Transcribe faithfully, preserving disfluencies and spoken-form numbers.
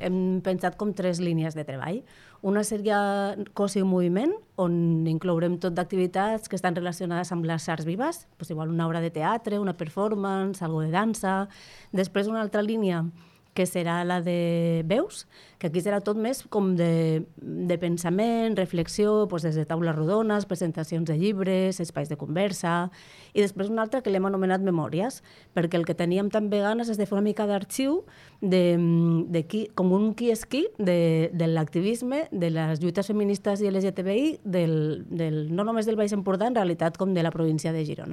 Hem pensat com tres línies de treball. Una seria cos i moviment, on inclourem tot d'activitats que estan relacionades amb les arts vives, doncs igual una obra de teatre, una performance, algo de dansa. Després una altra línia que serà la de veus, que aquí serà tot més com de, de pensament, reflexió, doncs des de taules rodones, presentacions de llibres, espais de conversa, i després una altra que l'hem anomenat memòries, perquè el que teníem també ganes és de fer una mica d'arxiu, de, de qui, com un qui és qui de, de l'activisme, de les lluites feministes i L G T B I, del, del, no només del Baix Empordà, en realitat com de la província de Girona.